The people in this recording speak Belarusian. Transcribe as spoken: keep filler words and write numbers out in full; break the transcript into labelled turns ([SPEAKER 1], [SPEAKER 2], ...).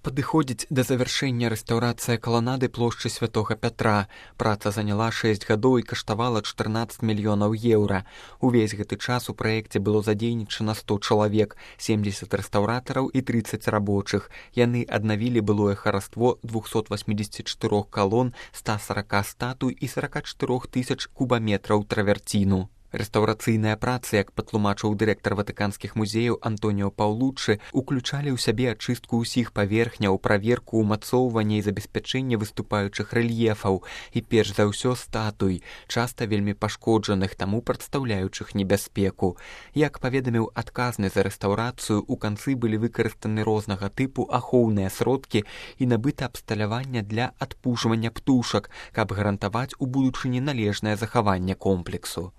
[SPEAKER 1] Падыходзіць да завяршэння рэстаўрацыя каланады плошчы Святога Пятра. Праца заняла шэсць гадоў і каштавала чатырнаццаць мільёнаў еўра. Увесь гэты час у праекце было задзейнічана сто чалавек, семдзесят рэстаўратараў і трыццаць рабочых. Яны аднавілі былое хараство двухсот восьмидесяти четырёх калон, ста сорока статуй і сорока чатырох тысяч кубаметраў траверціну. Рэстаўрацыйныя працы, як патлумачыў дырэктар ватыканскіх музеяў Антоніо Паўлуччы, уключалі ў сябе ачыстку ўсіх паверхняў, праверку ўмацоўвання і забеспячэння выступаючых рэльефаў і перш за ўсё статуй, часта вельмі пашкоджаных, таму прадстаўляючых небяспеку. Як паведаміў адказны за рэстаўрацыю, у канцы былі выкарыстаны рознага тыпу ахоўныя сродкі і набыта абсталявання для адпужвання птушак, каб гарантаваць у будучыні належнае захаванне комплексу.